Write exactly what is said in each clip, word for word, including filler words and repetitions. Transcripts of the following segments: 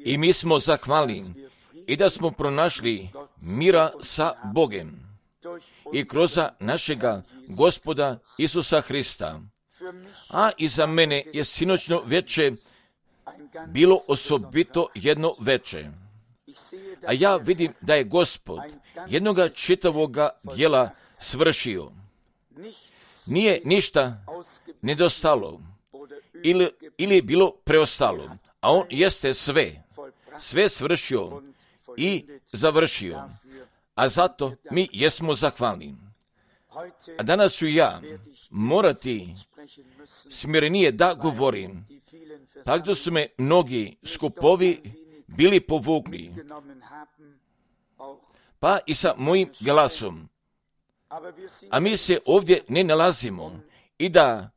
I mi smo zahvalni i da smo pronašli mira sa Bogem i kroz našega Gospoda Isusa Hrista. A i za mene je sinoćno veče bilo osobito jedno veče. A ja vidim da je Gospod jednoga čitavoga djela svršio. Nije ništa nedostalo ili, ili je bilo preostalo, a on jeste sve, sve svršio i završio. A zato mi jesmo zahvalni. A danas ću ja morati smirenije da govorim, tako da su me mnogi skupovi bili povukli, pa i sa mojim glasom. A mi se ovdje ne nalazimo i da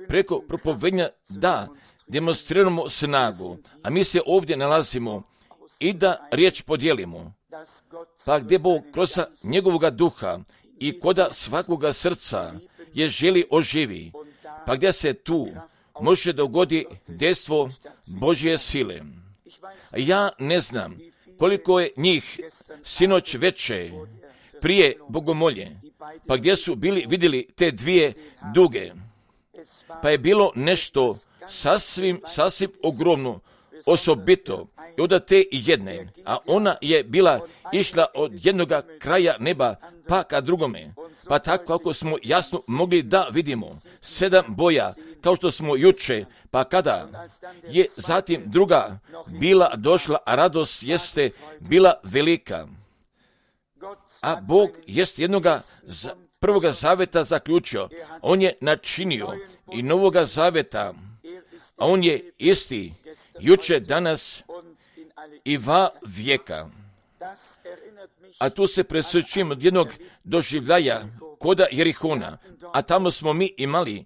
preko propovednja da demonstriramo snagu, a mi se ovdje nalazimo i da riječ podijelimo. Pa gdje Bog kroz njegovoga duha i koda svakoga srca je želi oživi, pa gdje se tu može dogodi dejstvo Božje sile. Ja ne znam koliko je njih sinoć veče prije bogomolje, pa gdje su bili vidjeli te dvije duge, pa je bilo nešto sasvim, sasvim ogromno, osobito i od te jedne, a ona je bila išla od jednoga kraja neba pa ka drugome, pa tako kako smo jasno mogli da vidimo, sedam boja, kao što smo juče, pa kada je zatim druga bila došla, a radost jeste bila velika. A Bog jest jednoga za, prvoga zaveta zaključio, on je načinio i novoga zaveta, a on je isti juče, danas i va vijeka. A tu se presjećam od jednog doživljaja koda Jerihona, a tamo smo mi imali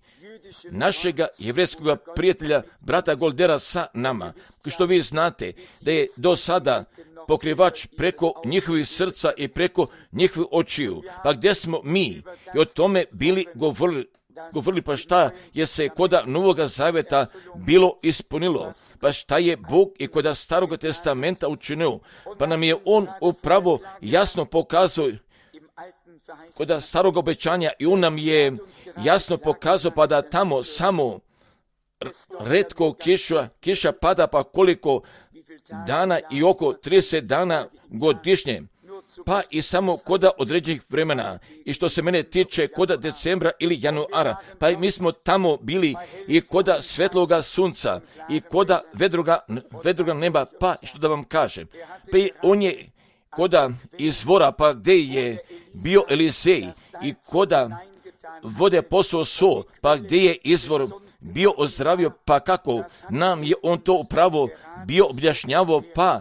našega jevrejskog prijatelja, brata Goldera sa nama, što vi znate da je do sada pokrivač preko njihovih srca i preko njihovih očiju. Pa gdje smo mi i o tome bili govorili, govorili pa šta je se koda Novoga Zaveta bilo ispunilo, pa šta je Bog i koda Starog testamenta učinio, pa nam je on upravo jasno pokazao koda starog obećanja i on nam je jasno pokazao pa da tamo samo retko kiša, kiša pada pa koliko dana i oko trideset dana godišnje, pa i samo koda određenih vremena. I što se mene tiče koda decembra ili januara, pa mi smo tamo bili i koda svetloga sunca i koda vedroga, vedroga neba, pa što da vam kažem, pa i on je koda izvora, pa gdje je bio Elizej i koda vode posao so, pa gdje je izvor bio ozdravio, pa kako nam je on to upravo bio objašnjavao, pa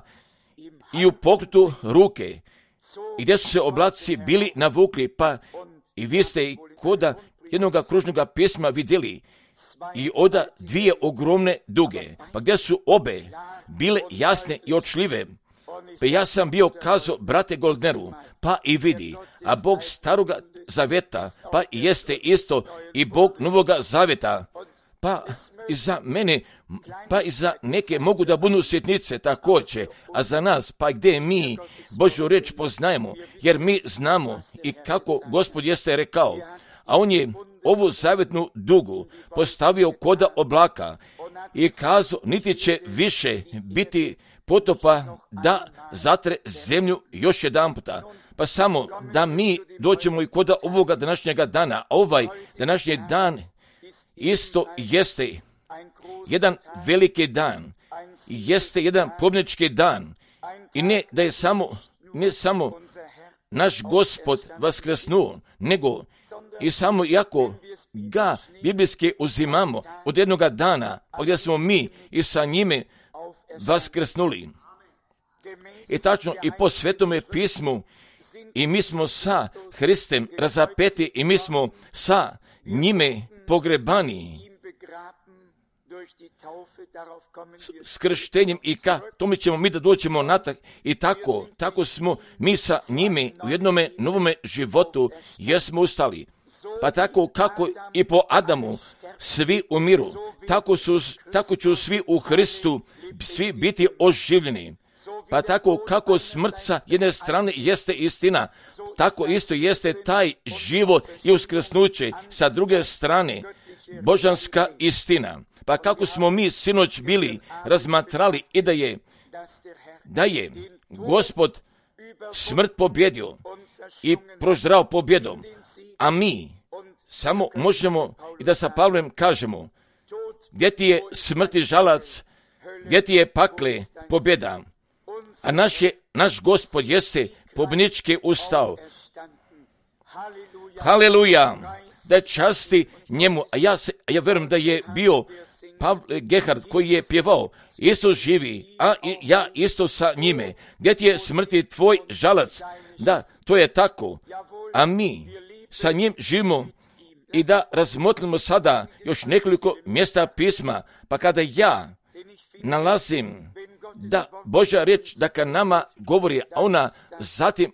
i u pokretu ruke, i gdje su se oblaci bili navukli, pa i vi ste i koda jednoga kružnoga pisma vidjeli i oda dvije ogromne duge, pa gdje su obe bile jasne i očljive. Pa ja sam bio kazao brate Goldneru, pa i vidi, a Bog staroga zaveta, pa i jeste isto i Bog novoga zaveta, pa i za mene, pa i za neke mogu da budu sjetnice također, a za nas, pa gdje mi Božju reč poznajemo, jer mi znamo i kako Gospod jeste rekao, a on je ovu zavetnu dugu postavio koda oblaka i kazao, niti će više biti potopa da zatre zemlju još jedan puta. Pa samo da mi doćemo i koda ovoga današnjega dana, a ovaj današnji dan isto jeste jedan veliki dan, jeste jedan pobjednički dan i ne da je samo, ne samo naš Gospod vaskrsnuo, nego i samo jako ga biblijski uzimamo od jednoga dana, pa gdje smo mi i sa njime vaskrsnuli. I tačno i po Svetome pismu i mi smo sa Hristem razapeti i mi smo sa njime pogrebani s krštenjem i ka tome ćemo mi da doćemo natak i tako, tako smo mi sa njime u jednome novome životu jesmo ustali. Pa tako kako i po Adamu svi umiru, tako, su, tako ću svi u Hristu svi biti oživljeni. Pa tako kako smrt sa jedne strane jeste istina, tako isto jeste taj život i uskrsnuće sa druge strane božanska istina. Pa kako smo mi sinoć bili razmatrali i da je, da je Gospod smrt pobjedio i proždrao pobjedom, a mi samo možemo i da sa Pavlem kažemo, gdje ti je smrti žalac, gdje ti je pakle pobjeda, a naš, je, naš Gospod jeste pobjednički ustao. Haleluja, da časti njemu, a ja, se, a ja verujem da je bio Pavle Gerhard koji je pjevao, isto živi, a i ja isto sa njime. Gdje ti je smrti tvoj žalac? Da, to je tako. A mi sa njim živimo i da razmotlimo sada još nekoliko mjesta pisma, pa kada ja nalazim da Božja riječ da ka nama govori, a ona zatim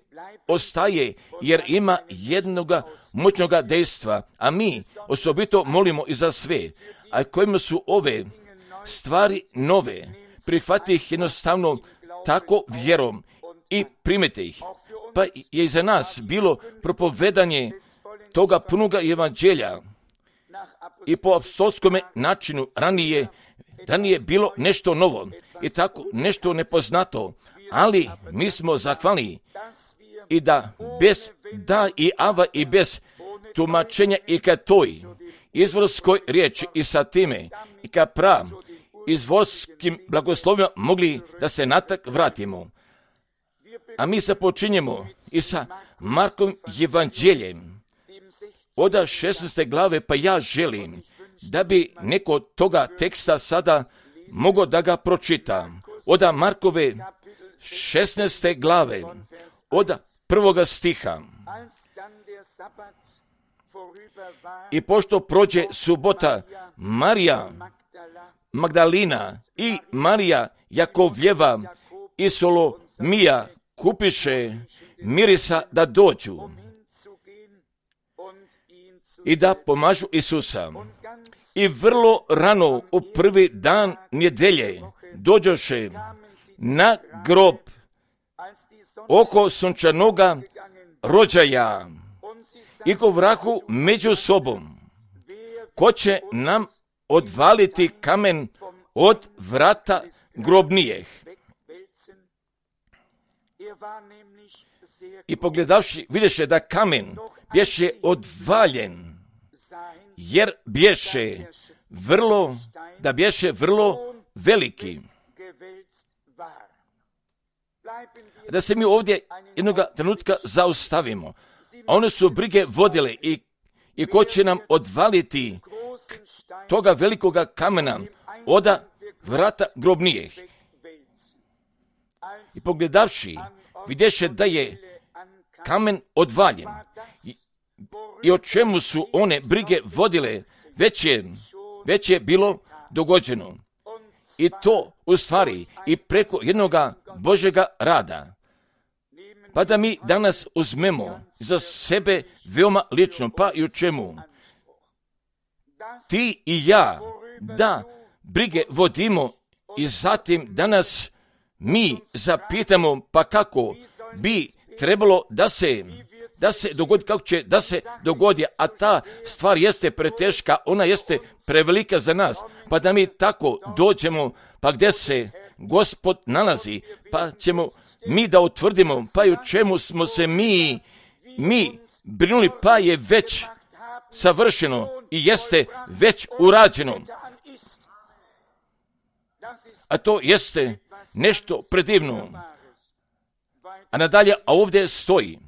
ostaje jer ima jednoga moćnoga dejstva, a mi osobito molimo i za sve, a kojima su ove stvari nove, prihvati ih jednostavno tako vjerom i primite ih. Pa je i za nas bilo propovedanje toga punoga evanđelja i po apostolskome načinu ranije, ranije bilo nešto novo i tako nešto nepoznato, ali mi smo zahvalni i da bez da i ava i bez tumačenja i ka toj izvorskoj riječi i sa time i ka pra izvorskim blagoslovima mogli da se natak vratimo. A mi se počinjemo i sa Markovim evanđeljem od šesnaeste glave, pa ja želim da bi neko toga teksta sada mogao da ga pročita. Od Markove šesnaeste glave, od prvoga stiha. I pošto prođe subota, Marija Magdalina i Marija Jakovljeva i Solomija kupiše mirisa da dođu i da pomažu Isusa. I vrlo rano u prvi dan nedjelje dođoše na grob oko sunčanoga rođaja i govrahu među sobom, ko će nam odvaliti kamen od vrata grobnijeh. I pogledavši, vidješe da kamen bješe odvaljen, jer bješe vrlo, da bješe vrlo veliki. Da se mi ovdje jednog trenutka zaustavimo. A one su brige vodile i, i ko će nam odvaliti toga velikoga kamena od vrata grobnijeh. I pogledavši, vidješe da je kamen odvaljen. I, i o čemu su one brige vodile, već je, već je bilo dogođeno. I to u stvari i preko jednoga Božjega rada. Pa da mi danas uzmemo za sebe veoma lično, pa i u čemu? Ti i ja, da brige vodimo i zatim danas mi zapitamo pa kako bi trebalo da se, da se dogodi, kako će da se dogodi, a ta stvar jeste preteška, ona jeste prevelika za nas, pa da mi tako dođemo, pa gdje se Gospod nalazi, pa ćemo mi da utvrdimo, pa i u čemu smo se mi, mi brinuli, pa je već savršeno i jeste već urađeno. A to jeste nešto predivno. A nadalje, a ovdje stoji.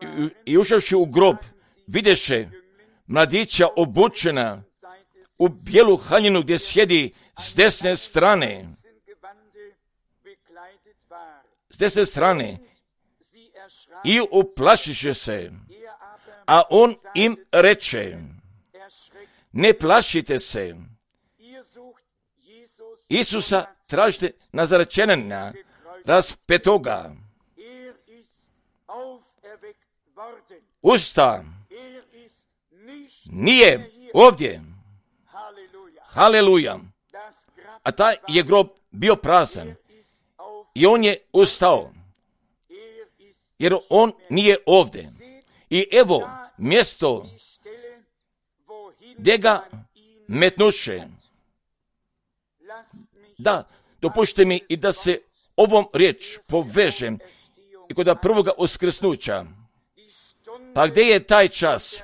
I, i ušavši u grob, vidješe mladića obučena u bijelu haljinu gdje sjedi s desne strane. S desne strane. I uplašiše se. A on im reče, ne plašite se. Isusa tražite Nazarečanina, raspetoga. usta, nije ovdje. Haleluja. A taj je grob bio prazan i on je ustao, jer on nije ovdje. I evo mjesto gdje ga metnuše. Da, dopušte mi i da se ovom riječ povežem i kod prvoga uskrsnuća. Pa gdje je taj čas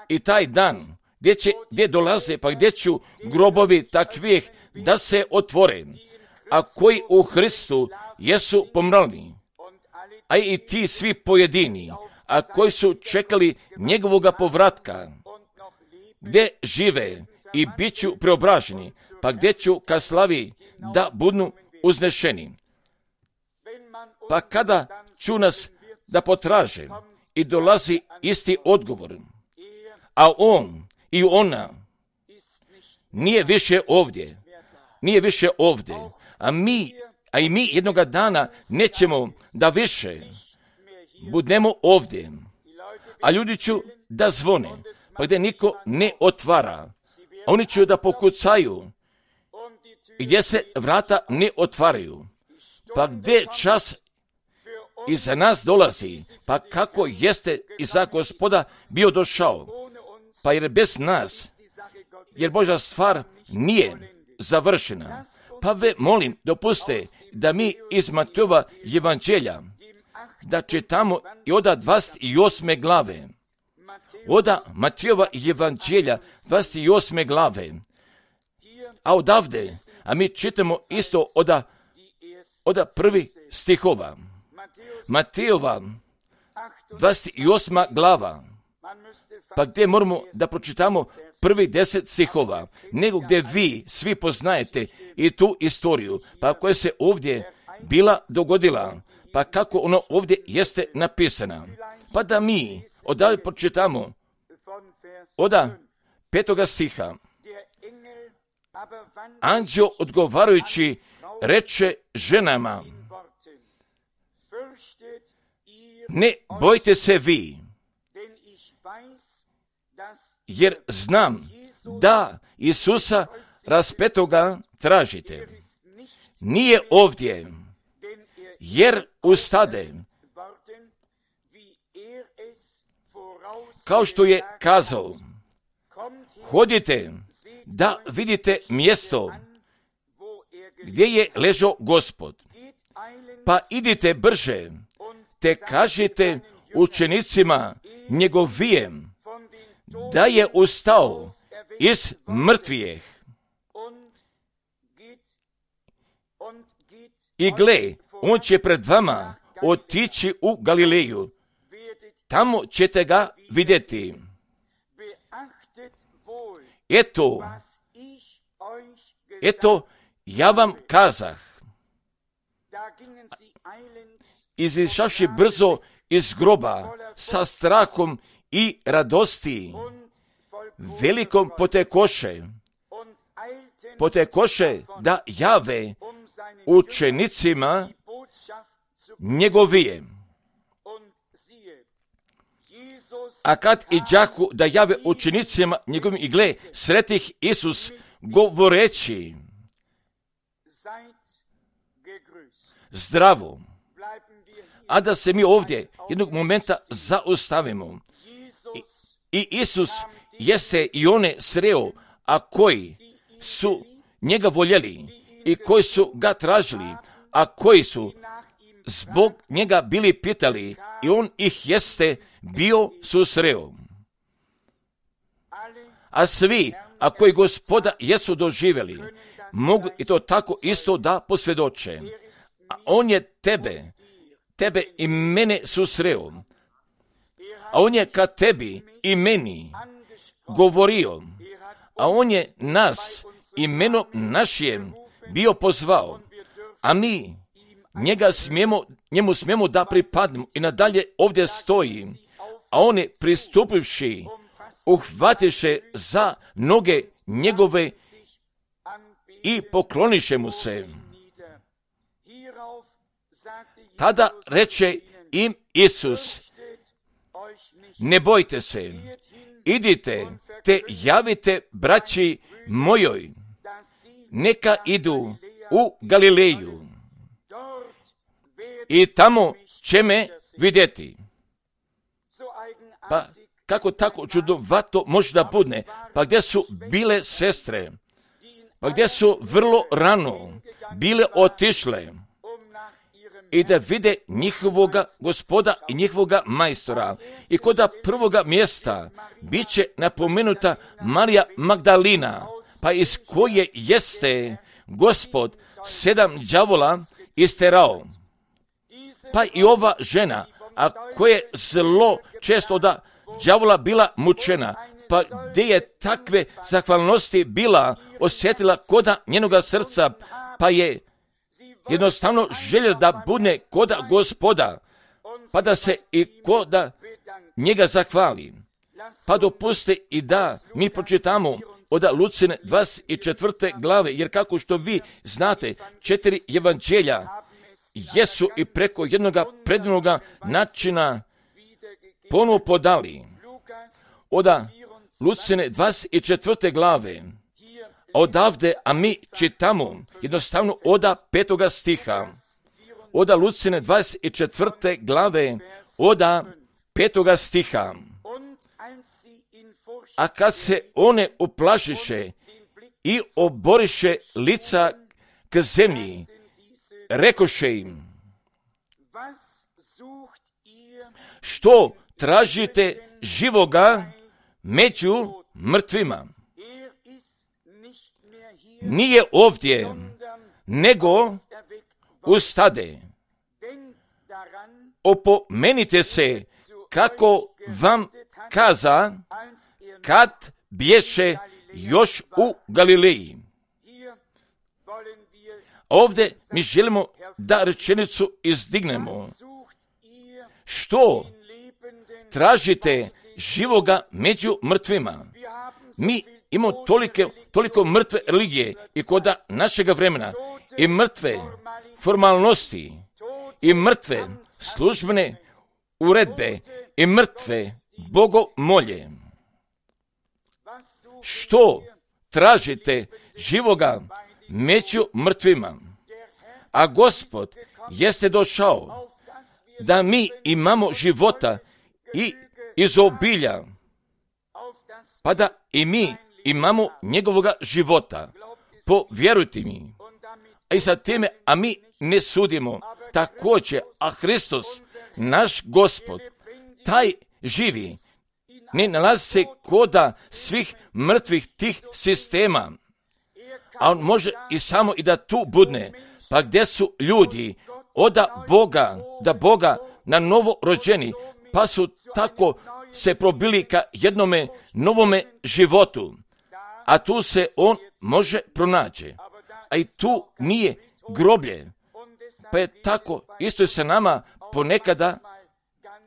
i taj dan, gdje, će, gdje dolaze, pa gdje ću grobovi takvih da se otvore, a koji u Hristu jesu pomrli, a i ti svi pojedini, a koji su čekali njegovoga povratka, gdje žive i bit ću preobraženi, pa gdje ću ka slavi da budu uznešeni. Pa kada ću nas da potraže i dolazi isti odgovor, a on i ona nije više ovdje, nije više ovdje, a mi, a i mi jednoga dana nećemo da više budemo ovdje, a ljudi ću da zvone, pa gdje niko ne otvara, oni će da pokucaju, gdje se vrata ne otvaraju, pa gdje čas iza nas dolazi, pa kako jeste iza Gospoda bio došao, pa jer bez nas, jer Božja stvar nije završena. Pa ve molim, dopuste da mi iz Matejova evanđelja, da čitamo i oda dvadeset osme glave, oda Matejova evanđelja dvadeset osme glave, a odavde, a mi čitamo isto oda, oda prvi stihova. Matejova dvadeset osma glava, pa gdje moramo da pročitamo prvi deset stihova, nego gdje vi svi poznajete i tu istoriju, pa koja se ovdje bila dogodila, pa kako ono ovdje jeste napisana. Pa da mi odavde pročitamo oda petoga stiha. Anđeo odgovarajući reče ženama, ne bojte se vi, jer znam da Isusa raspetoga tražite. Nije ovdje, jer ustade, kao što je kazao, hodite da vidite mjesto gdje je ležao Gospod, pa idite brže, te kažite učenicima njegovijem da je ustao iz mrtvijeh. I gle, on će pred vama otići u Galileju. Tamo ćete ga vidjeti. Eto, eto, ja vam kazah. Izišavši brzo iz groba sa strahom i radosti, velikom potekoše, potekoše da jave učenicima njegovije. A kad iđahu da jave učenicima njegovim, i gle, sretih Isus govoreći, zdravo. A da se mi ovdje jednog momenta zaustavimo. I, i Isus jeste i one sreo, a koji su njega voljeli i koji su ga tražili, a koji su zbog njega bili pitali, i on ih jeste bio susreo. A svi, a koji Gospoda jesu doživjeli, mogu i to tako isto da posvjedoče. A on je tebe, tebe i mene susreo, a on je ka tebi i meni govorio, a on je nas imenom našim bio pozvao, a mi njega smijemo, njemu smijemo da pripadnemo i nadalje ovdje stoji, a on je pristupivši, uhvatiše za noge njegove i pokloniše mu se. Tada reče im Isus, ne bojte se, idite te javite braći mojoj, neka idu u Galileju i tamo će me vidjeti. Pa kako tako čudovato može da bude? Pa gdje su bile sestre? Pa gdje su vrlo rano bile otišle i da vide njihovoga gospoda i njihovoga majstora. I kod prvoga mjesta bit će napomenuta Marija Magdalina, pa iz koje jeste Gospod sedam đavola isterao. Pa i ova žena, a koja je zlo često da đavola bila mučena, pa gdje je takve zahvalnosti bila osjetila koda njenoga srca, pa je jednostavno željela da bude koda Gospoda, pa da se i koda njega zahvali. Pa dopuste i da mi pročitamo od Lucine dvadeset četvrte glave, jer kako što vi znate, četiri evanđelja jesu i preko jednoga predivnoga načina ponovo podali. Od Lucine dvadeset četvrte glave, odavde, a mi čitamo jednostavno od petoga stiha. Od Lucine dvadeset četvrte glave, od petoga stiha. A kad se one uplašiše i oboriše lica k zemlji, rekoše im, što tražite živoga među mrtvima? Nije ovdje, nego ustade. Opomenite se kako vam kaza kad bješe još u Galileji. Ovdje mi želimo da rečenicu izdignemo. Što tražite živoga među mrtvima? Mi imamo tolike, toliko mrtve religije i kod našega vremena, i mrtve formalnosti, i mrtve službene uredbe, i mrtve bogomolje. Što tražite živoga među mrtvima? A Gospod jeste došao da mi imamo života i izobilja, pa da i mi imamo njegovoga života. Povjerujte mi. A i sa time, a mi ne sudimo također, a Hristos, naš Gospod, taj živi, ne nalazi se koda svih mrtvih tih sistema, a on može i samo i da tu budne, pa gdje su ljudi od Boga, da Boga na novo rođeni, pa su tako se probili ka jednome novome životu, a tu se on može pronaći, a i tu nije groblje, pa je tako isto je se nama ponekada,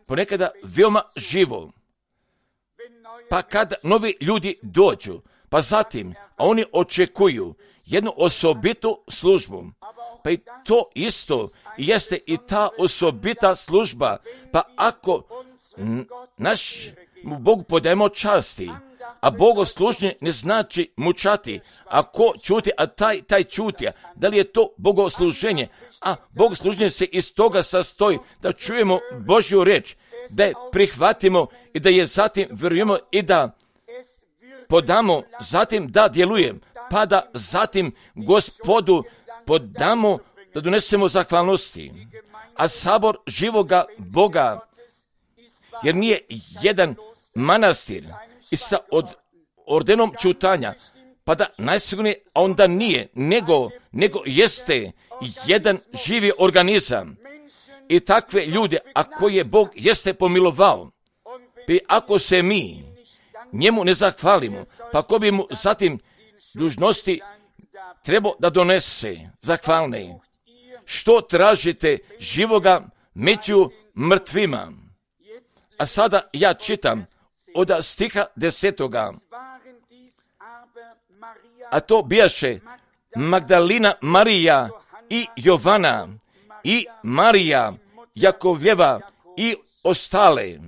ponekada veoma živo. Pa kad novi ljudi dođu, pa zatim, a oni očekuju jednu osobitu službu, pa i to isto jeste i ta osobita služba, pa ako naš Bogu podajemo časti, a bogoslužnje ne znači mučati, a ko čuti, a taj, taj čuti, da li je to bogosluženje? A bogosluženje se iz toga sastoji da čujemo Božju reč, da je prihvatimo i da je zatim vjerujemo i da podamo, zatim da djelujem, pa da zatim Gospodu podamo, da donesemo zahvalnosti. A sabor živoga Boga, jer nije jedan manastir i sa od, ordenom čutanja, pa da najsigurnije onda nije, nego, nego jeste jedan živi organizam. I takve ljude, a koje Bog jeste pomilovao, i ako se mi njemu ne zahvalimo, pa ko bi mu zatim dužnosti trebao da donese zahvalne. Što tražite živoga među mrtvima? A sada ja čitam od stiha desetoga. A to bijaše Magdalina Marija i Jovana i Marija Jakovljeva i ostale.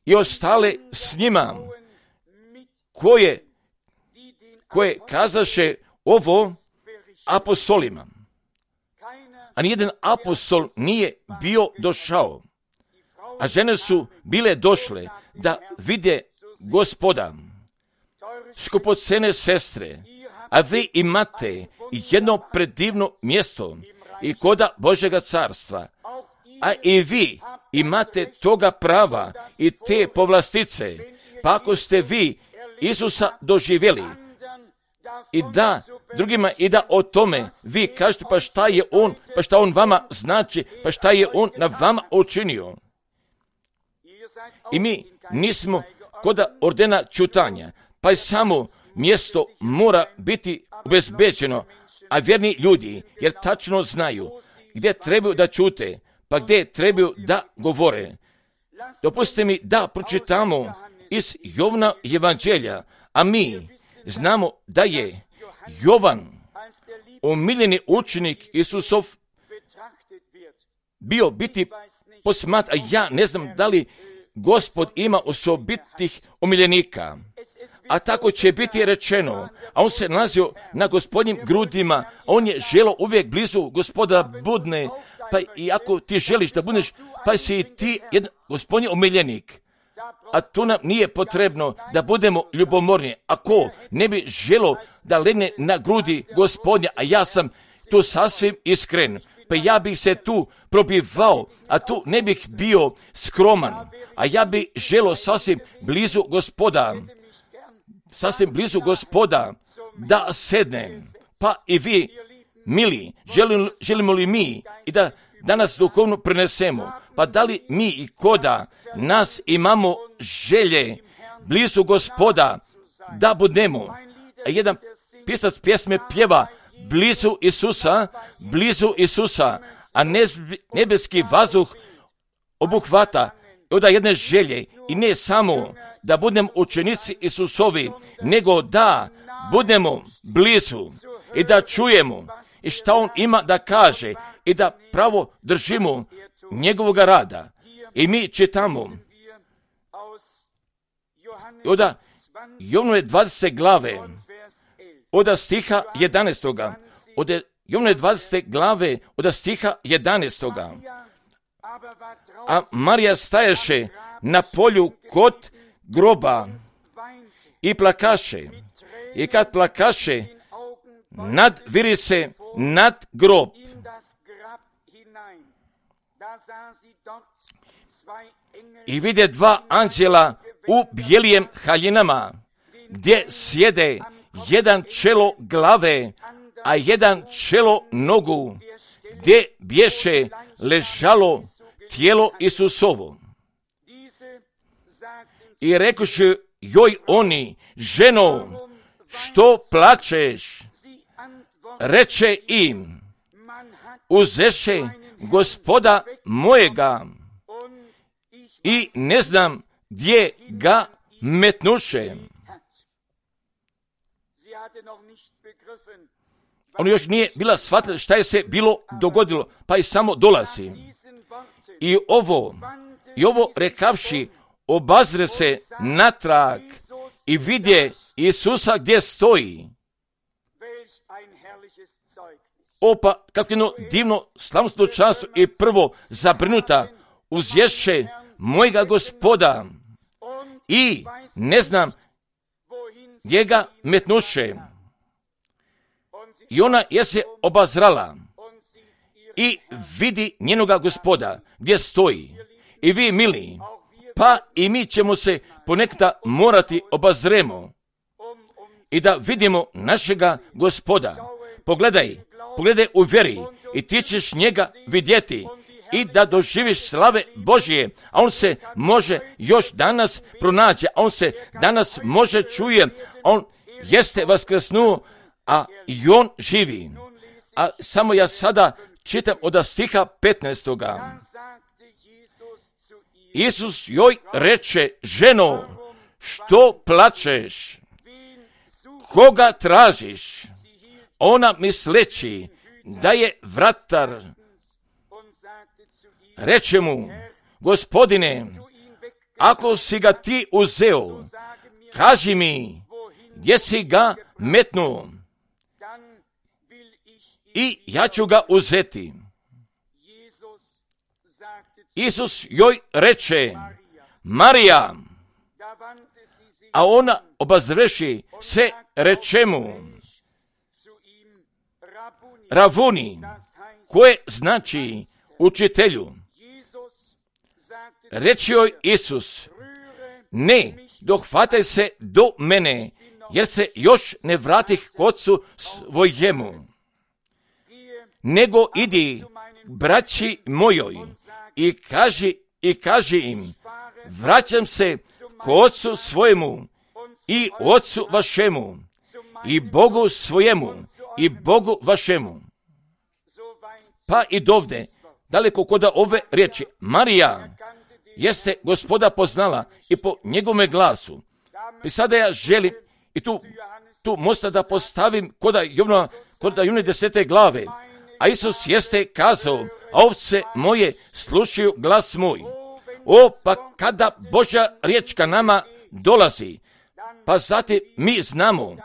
i ostale s njima, koje, koje kazaše ovo apostolima. A nijedan apostol nije bio došao, a žene su bile došle da vide Gospoda. Skupocene sestre, a vi imate jedno predivno mjesto i koda Božjega carstva, a i vi imate toga prava i te povlastice, pa ako ste vi Isusa doživjeli i da drugima i da o tome vi kažete pa šta je on, pa šta on vama znači, pa šta je on na vama učinio. I mi nismo koda ordena čutanja, pa i samo mjesto mora biti obezbeđeno, a vjerni ljudi, jer tačno znaju gdje trebaju da čute, pa gdje trebaju da govore. Dopustite mi da pročitamo iz Jovna evanđelja, a mi znamo da je Jovan, omiljeni učenik Isusov, bio biti posmat, a ja ne znam da li Gospod ima osobitih omiljenika. A tako će biti rečeno, a on se nalazio na Gospodnjim grudima, a on je želo uvijek blizu Gospoda budne, pa i ako ti želiš da budeš, pa si i ti jedan Gospodnji omiljenik. A tu nam nije potrebno da budemo ljubomorni. Ako ne bi želo da legne na grudi Gospodnja, a ja sam tu sasvim iskren, pa ja bih se tu probivao, a tu ne bih bio skroman, a ja bih želo sasvim blizu Gospoda, sasvim blizu Gospoda da sednem. Pa i vi, mili, želimo, želimo li mi i da danas duhovno prenesemo, pa da li mi i koda nas imamo želje blizu Gospoda da budemo. A jedan pisac pjesme pjeva blizu Isusa, blizu Isusa, a nebeski vazduh obuhvata od jedne želje i ne samo da budemo učenici Isusovi, nego da budemo blizu i da čujemo i šta on ima da kaže i da pravo držimo njegovog rada. I mi čitamo od Jovnove dvadesete glave, od stiha jedanaestoga, od Jovnove dvadesete glave, od stiha jedanaestoga. A Marija staješe na polju kod groba i plakaše. I kad plakaše, nadviri se nad grob. I vide dva anđela u bijelijem haljinama, gdje sjede jedan čelo glave, a jedan čelo nogu, gdje bješe ležalo tijelo Isusovo. I rekoše joj oni, ženo, što plačeš? Reče im, uzeše Gospoda mojega i ne znam gdje ga metnuše. On još nije bila shvatila šta je se bilo dogodilo, pa i samo dolazi. I ovo, i ovo rekavši, obazre se natrag i vidje Isusa gdje stoji. Opa, kako jedno divno slavnosno často i prvo zabrinuta, uzješe mojega Gospoda i ne znam gdje ga metnuše. I ona je se obazrala i vidi njenoga Gospoda gdje stoji. I vi, mili, pa i mi ćemo se ponekada morati obazremo i da vidimo našega Gospoda. Pogledaj, pogledaj u vjeri i ti ćeš njega vidjeti i da doživiš slave Božje, a on se može još danas pronaći, a on se danas može čuje, on jeste vaskrsnuo, a i on živi. A samo ja sada čitam od stiha petnaestoga. Isus joj reče, ženo, što plačeš? Koga tražiš? Ona misleći da je vratar. Reče mu, Gospodine, ako si ga ti uzeo, kaži mi, gdje si ga metnuo, i ja ću ga uzeti. Isus joj reče, Marija, a ona obazreši se reče mu, Rabuni, koje znači učitelju. Reče joj Isus, ne, dohvataj se do mene, jer se još ne vratih k Ocu svojemu, nego idi braći mojoj i kaži, i kaži im, vraćam se k Ocu svojemu i Ocu vašemu i Bogu svojemu i Bogu vašemu. Pa i dovde, daleko kod ove riječi, Marija jeste Gospoda poznala i po njegovome glasu. I sada ja želim i tu, tu mosta da postavim kod Jovna, kod Jovne desete glave. A Isus jeste kazao, ovce moje slušaju glas moj. O, pa kada Božja riječ ka nama dolazi, pa zatim mi znamo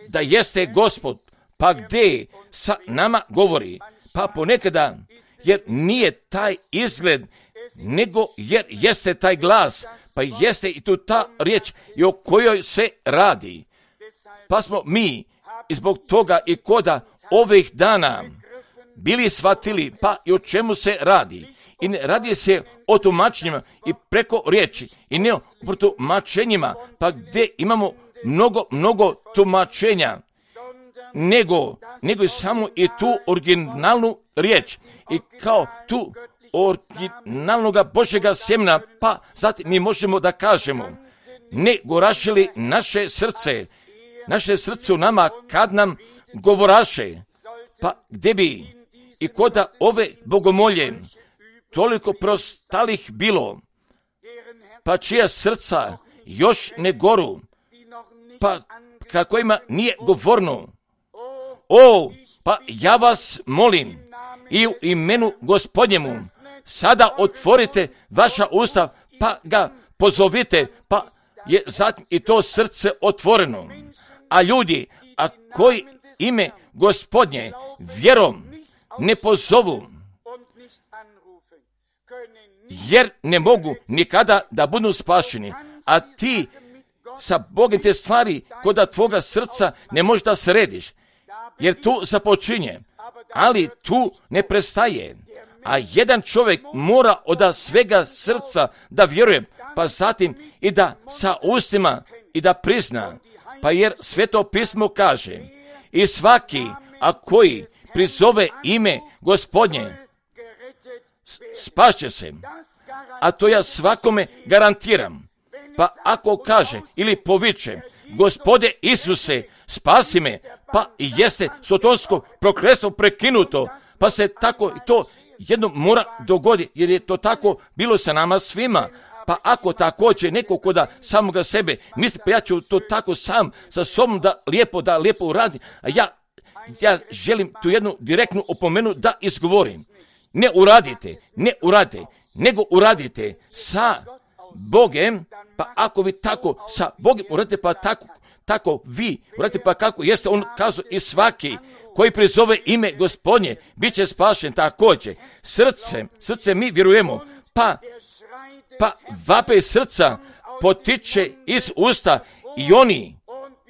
da jeste Gospod, pa gdje sa nama govori, pa ponekada, jer nije taj izgled, nego jer jeste taj glas, pa jeste i tu ta riječ i o kojoj se radi. Pa smo mi i zbog toga i koda ovih dana bili shvatili, pa i o čemu se radi. I ne radi se o tumačenjima i preko riječi, i ne o tumačenjima, pa gdje imamo mnogo, mnogo tumačenja, nego, nego samo i tu originalnu riječ. I kao tu originalnoga Božjega sjemena, pa zatim mi možemo da kažemo, ne gorašili naše srce, naše srce u nama kad nam govoraše, pa gdje bi i koda ove bogomolje toliko prostalih bilo, pa čija srca još ne goru, pa kako ima nije govorno. O, pa ja vas molim i u imenu Gospodnjemu, sada otvorite vaša usta, pa ga pozovite, pa je zatim i to srce otvoreno. A ljudi, a koji ime Gospodnje vjerom ne pozovu, jer ne mogu nikada da budu spašeni, a ti sa Bogom te stvari kod tvoga srca ne možeš da središ, jer tu započinje, ali tu ne prestaje. A jedan čovjek mora od svega srca da vjeruje, pa zatim i da sa ustima i da prizna, pa jer Sveto pismo kaže, i svaki, a koji prizove ime Gospodnje, spašće se. A to ja svakome garantiram. Pa ako kaže ili poviče, Gospode Isuse, spasi me, pa i jeste sotonsko prokletstvo prekinuto, pa se tako i to jednom mora dogoditi, jer je to tako bilo sa nama svima. Pa ako također neko koda samoga sebe misli, pa ja ću to tako sam sa sobom da lijepo, da lijepo uradi, a ja, ja želim tu jednu direktnu opomenu da izgovorim. Ne uradite, ne uradite, nego uradite sa Bogem, pa ako vi tako sa Bogem uradite, pa tako, tako vi uradite, pa kako jeste on kazao, i svaki koji prizove ime Gospodnje, bit će spašen također. Srce, srce mi vjerujemo, pa, pa vape srca potiče iz usta i oni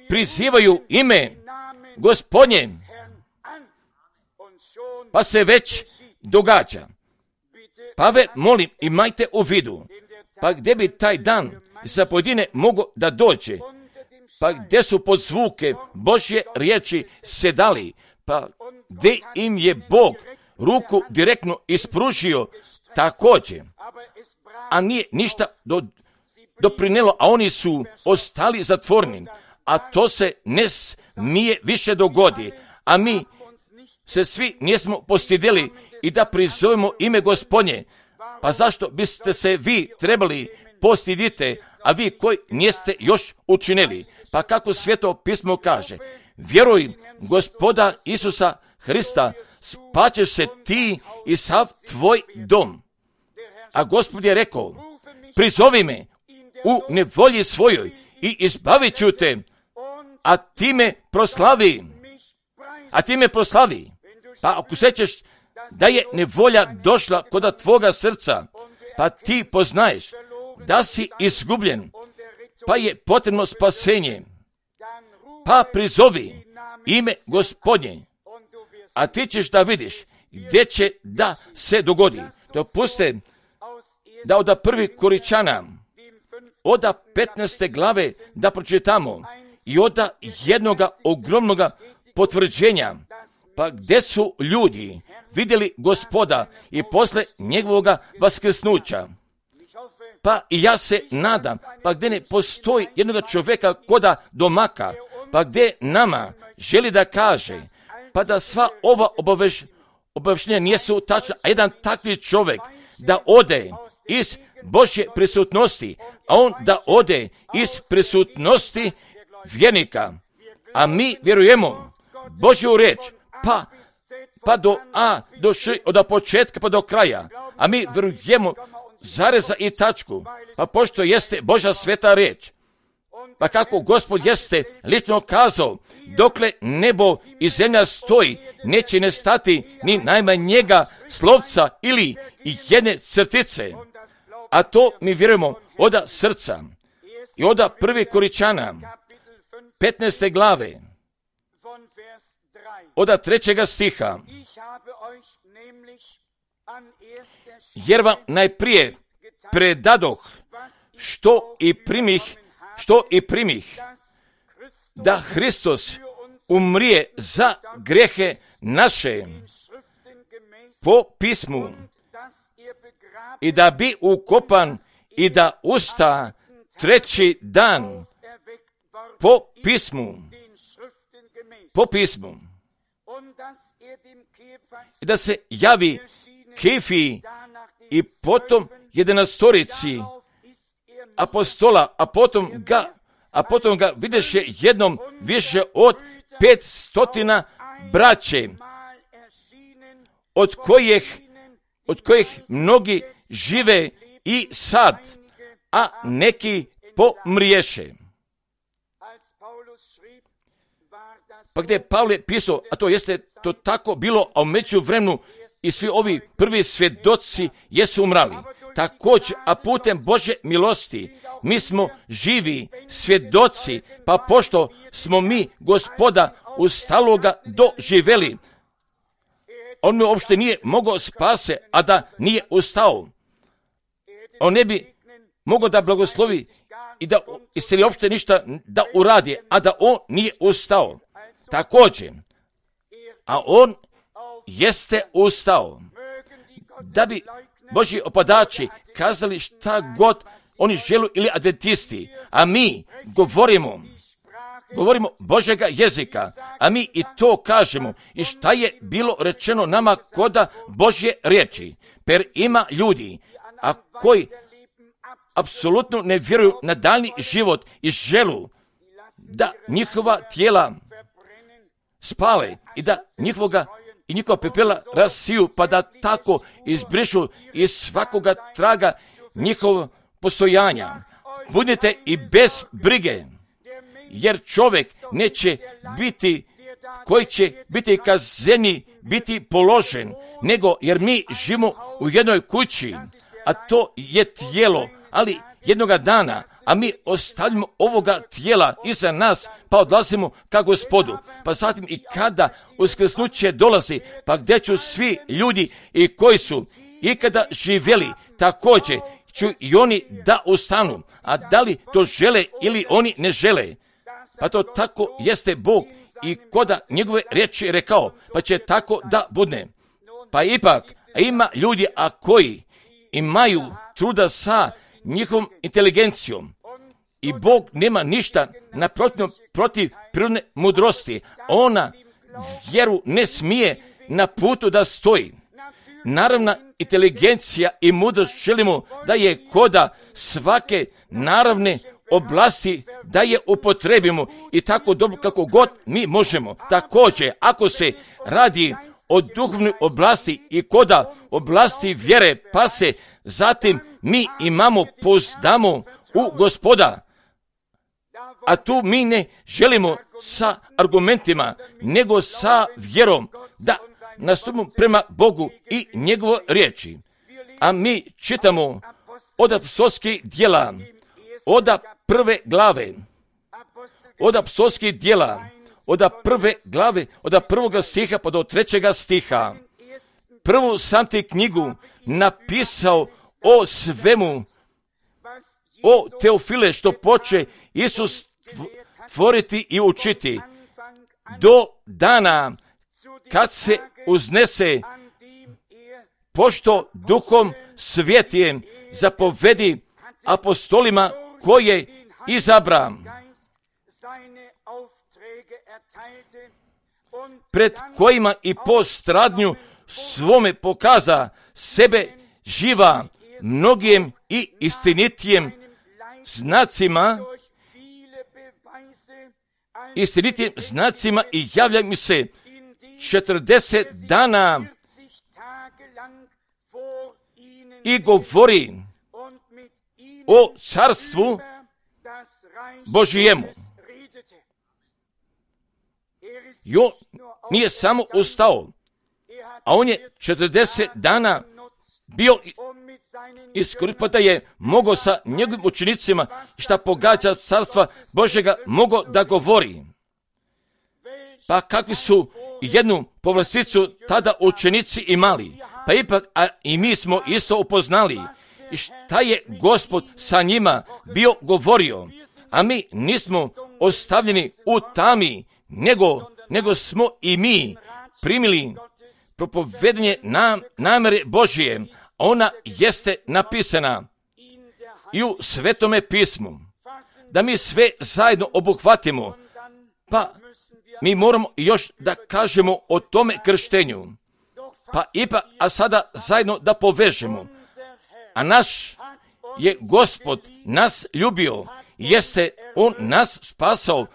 prizivaju ime Gospodnje, pa se već događa. Pa ve molim, imajte u vidu, pa gdje bi taj dan za pojedine mogo da dođe, pa gdje su pod zvuke Božje riječi sedali, pa gdje im je Bog ruku direktno ispružio također, a nije ništa do, doprinelo, a oni su ostali zatvoreni, a to se ne smije više dogodi, a mi se svi nismo postidjeli i da prizovemo ime Gospodnje. Pa zašto biste se vi trebali postidite, a vi koji niste još učinili? Pa kako Sveto pismo kaže, vjeruj Gospoda Isusa Hrista, spaćeš se ti i sav tvoj dom. A Gospod je rekao, prizovi me u nevolji svojoj i izbavit ću te, a ti me proslavi, a ti me proslavi. Pa ako sećaš da je nevolja došla kod tvoga srca, pa ti poznaješ da si izgubljen, pa je potrebno spasenje, pa prizovi ime Gospodnje, a ti ćeš da vidiš gdje će da se dogodi. Dopuste da od prvi Koričana, od petnaeste glave da pročitamo i od jednoga ogromnoga potvrđenja, pa gdje su ljudi vidjeli Gospoda i posle njegovoga vaskrsnuća. Pa i ja se nadam, pa gdje ne postoji jednoga čovjeka koda domaka, pa gdje nama želi da kaže, pa da sva ova obaveš, obaveštenja nisu tačna, a jedan takvi čovjek da ode iz Božje prisutnosti, a on da ode iz prisutnosti vjernika. A mi vjerujemo Božju reč, pa, pa do A, do Š, od početka pa do kraja. A mi vjerujemo zareza i tačku, pa pošto jeste Božja sveta reč. Pa kako Gospod jeste lično kazao, dokle nebo i zemlja stoji, neće nestati ni najmanjega slovca ili jedne crtice. A to mi vjerujemo od srca. I od prvi Koričana, petnaeste glave, od trećega stiha. Jer vam najprije predadoh što i primih, što i primih, da Hristos umrije za grehe naše po pismu i da bi ukopan i da usta treći dan po pismu, po pismu, i da se javi Kefi i potom jedanastorici apostola, a potom ga, a potom ga videše jednom više od pet stotina braće, od kojih, od kojih mnogi žive i sad, a neki pomriješe. Pa gdje je Pavle pisao, a to jeste to tako bilo, a u međuvremenu i svi ovi prvi svjedoci jesu umrali. Također, a putem Božje milosti, mi smo živi svjedoci, pa pošto smo mi Gospoda ustaloga doživeli, on mi uopšte nije mogao spase, a da nije ustao. On ne bi mogao da blagoslovi i da isceli uopšte ništa da uradi, a da on nije ustao. Također, a on jeste ustao, da bi Božji opadači kazali šta god oni žele ili adventisti, a mi govorimo, govorimo Božjega jezika, a mi i to kažemo i šta je bilo rečeno nama koda Božje riječi. Per ima ljudi, a koji apsolutno ne vjeruju na daljni život i želu da njihova tijela spale i da njihovoga i njihova pepela rasiju, pa da tako izbrišu iz svakoga traga njihovog postojanja. Budite i bez brige, jer čovjek neće biti, koji će biti ka zemlji biti položen, nego jer mi živimo u jednoj kući, a to je tijelo, ali jednoga dana, a mi ostavimo ovoga tijela iza nas, pa odlazimo ka Gospodu. Pa zatim i kada uskrsnuće dolazi, pa gdje ću svi ljudi i koji su ikada živjeli, također ću i oni da ustanu. A da li to žele ili oni ne žele? Pa to tako jeste Bog i koda njegove riječi rekao, pa će tako da bude. Pa ipak ima ljudi, a koji imaju truda sa njihovom inteligencijom. I Bog nema ništa naprotiv protiv prirodne mudrosti. Ona vjeru ne smije na putu da stoji. Naravna inteligencija i mudrost želimo da je koda svake naravne oblasti da je upotrebimo i tako dobro kako god mi možemo. Također, ako se radi o duhovnoj oblasti i koda oblasti vjere, pa se zatim mi imamo pouzdamo u Gospoda. A tu mi ne želimo sa argumentima, nego sa vjerom da nastupimo prema Bogu i njegovo riječi. A mi čitamo od apostolskih djela, od prve glave, od apostolskih djela, od prve glave, od prvoga stiha pa do trećega stiha. Prvu sam ti knjigu napisao o svemu, o Teofile, što poče Isus tvoriti i učiti do dana kad se uznese, pošto Duhom Svetijem zapovedi apostolima koje izabra, pred kojima i po stradnju svome pokaza sebe živa mnogim i istinitijem znacima, istinitijem znacima i javlja mi se četrdeset dana i govori o carstvu Božijemu. Jo nije samo ustao, a on je četrdeset dana bio iskoristiv da je mogao sa njegovim učenicima šta pogađa carstva Božjega mogao da govori. Pa kakvi su jednu povlasticu tada učenici imali, pa ipak a i mi smo isto upoznali i šta je Gospod sa njima bio govorio, a mi nismo ostavljeni u tami, nego, nego smo i mi primili propovedanje nam, namere Božije. Ona jeste napisana i u Svetome pismu. Da mi sve zajedno obuhvatimo, pa mi moramo još da kažemo o tome krštenju. Pa ipak, a sada zajedno da povežemo. A naš je Gospod nas ljubio, jeste On nas spasao,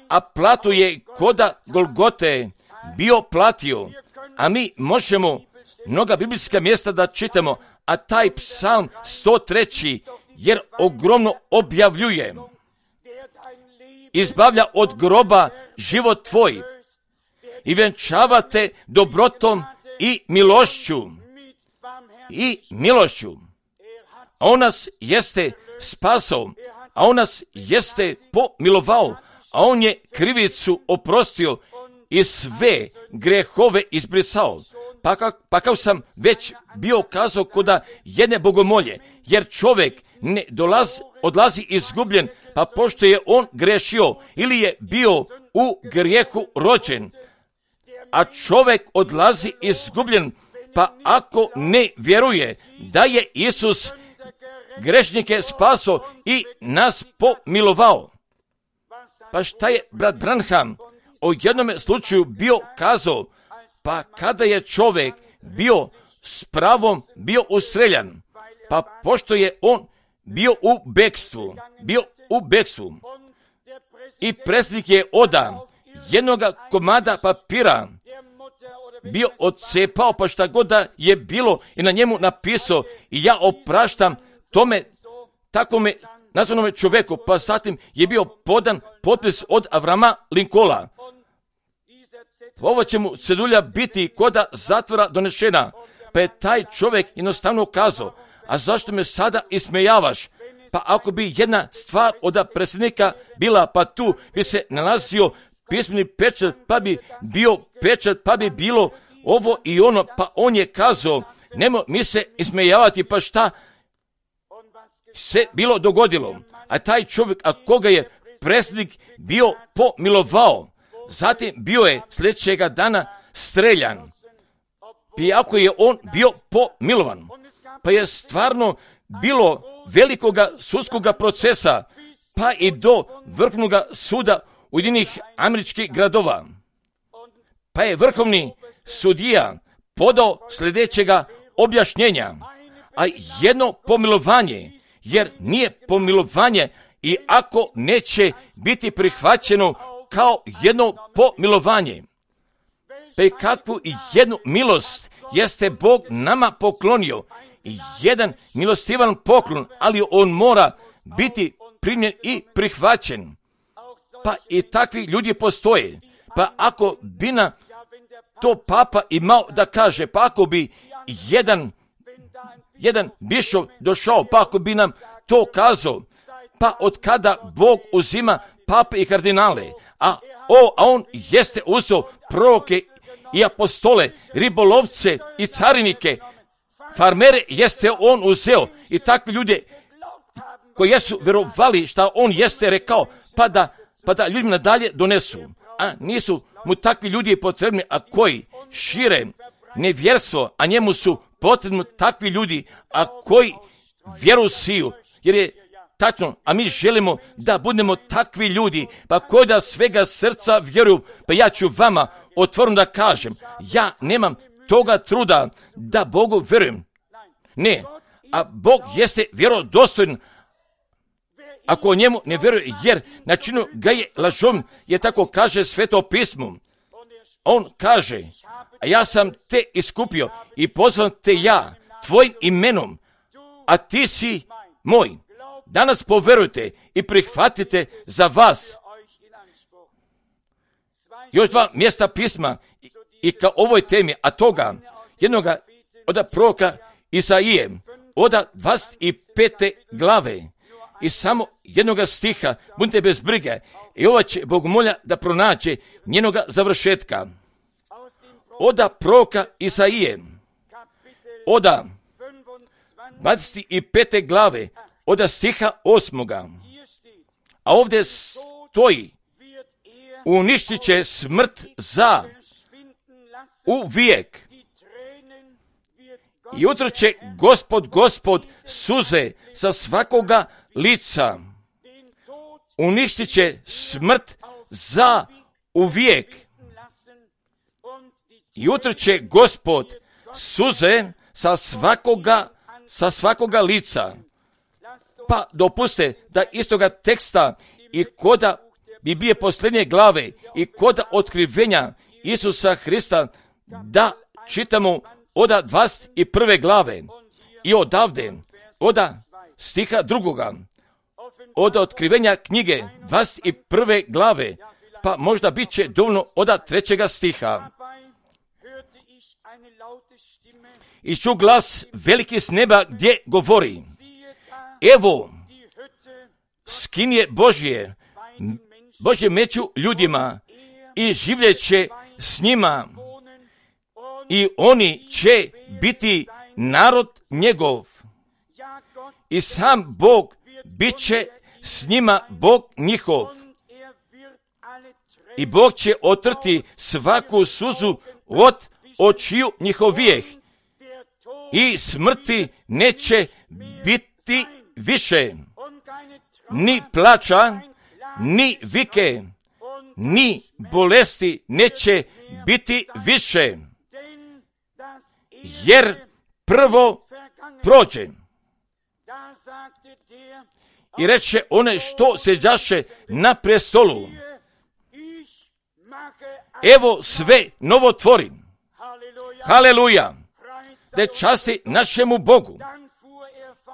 a platu je koda Golgote bio platio. A mi možemo mnoga biblijska mjesta da čitamo, a taj psalm sto tri, jer ogromno objavljuje. Izbavlja od groba život tvoj i vjenčavate dobrotom i milošću. I milošću. A on nas jeste spasao, a on nas jeste pomilovao, a on je krivicu oprostio i sve grehove izbrisao. Pa, kak, pa kao sam već bio kazao koda jedne bogomolje, jer čovjek ne dolazi, odlazi izgubljen, pa pošto je on grešio ili je bio u grijehu rođen, a čovjek odlazi izgubljen, pa ako ne vjeruje da je Isus grešnike spasao i nas pomilovao. Pa šta je brat Branham o jednome slučaju bio kazao, pa kada je čovjek bio s pravom bio ustreljan, pa pošto je on bio u bekstvu, bio u bekstvu i predsjednik je oda jednoga komada papira bio odcepao, pa šta god da je bilo i na njemu napisao i ja opraštam tome takvome nazvanome čovjeku, pa zatim je bio podan potpis od Avrama Lincolna. Ovo će mu cedulja biti koda zatvora donešena, pa je taj čovjek jednostavno kazao, a zašto me sada ismejavaš? Pa ako bi jedna stvar od predsjednika bila, pa tu bi se nalazio pismeni pečat, pa bi bio pečat, pa bi bilo ovo i ono, pa on je kazao, nemo mi se ismejavati, pa šta se bilo dogodilo? A taj čovjek, a koga je predsjednik bio pomilovao, zatim bio je sljedećega dana streljan. Iako je on bio pomilovan, pa je stvarno bilo velikoga sudskoga procesa, pa i do vrhovnoga suda Ujedinjenih američkih gradova. Pa je vrhovni sudija podao sljedećega objašnjenja, a jedno pomilovanje, jer nije pomilovanje i ako neće biti prihvaćeno kao jedno pomilovanje. Pa i kakvu i jednu milost jeste Bog nama poklonio, jedan milostivan poklon, ali on mora biti primljen i prihvaćen. Pa i takvi ljudi postoje. Pa ako bi na to papa imao da kaže, pa ako bi jedan, jedan bišov došao, pa ako bi nam to kazao, pa od kada Bog uzima pape i kardinale, a, o, a on jeste uzeo proroke i apostole, ribolovce i carinike, farmere jeste on uzeo i takvi ljude koji jesu vjerovali šta on jeste rekao, pa da, pa da ljudima nadalje donesu. A nisu mu takvi ljudi potrebni, a koji šire nevjerstvo, a njemu su potrebni takvi ljudi, a koji vjeru siju, jer je tačno, a mi želimo da budemo takvi ljudi, pa koji da svega srca vjeruju. Pa ja ću vama otvoreno da kažem, ja nemam toga truda da Bogu vjerujem. Ne, a Bog jeste vjerodostojan ako o njemu ne vjeruje, jer načinu ga je lažom, jer tako kaže Sveto pismo. On kaže, a ja sam te iskupio i pozvan te ja tvojim imenom, a ti si moj. Danas poverujte i prihvatite za vas. Još dva mjesta pisma i, i ka ovoj temi, a toga jednoga od proroka Isaije, od dvadeset pete glave i samo jednoga stiha, budite bez brige, i ova će Bogomolja da pronaće njenoga završetka. Od proroka Isaije, od dvadeset pete glave, od stiha osmoga. A ovdje stoji, uništit će smrt za uvijek. I utrat će Gospod, Gospod suze sa svakoga lica. Uništit će smrt za uvijek. I utrat će Gospod suze sa svakoga, sa svakoga lica. Pa dopuste da istoga teksta i koda Biblije posljednje glave i koda otkrivenja Isusa Hrista da čitamo od dvadeset prve glave i odavde, od stiha drugoga, od otkrivenja knjige dvadeset prve glave, pa možda bit će dovoljno od trećega stiha. I ču glas veliki s neba gdje govori, evo, skinje Božje, Božje meću ljudima i življeće s njima i oni će biti narod njegov i sam Bog bit će s njima Bog njihov i Bog će otrti svaku suzu od očiju njihovijeh i smrti neće biti više, ni plača, ni vike, ni bolesti neće biti više, jer prvo prođe. I reče one što seđaše na prestolu, evo sve novo tvorim. Haleluja! Da časti našemu Bogu.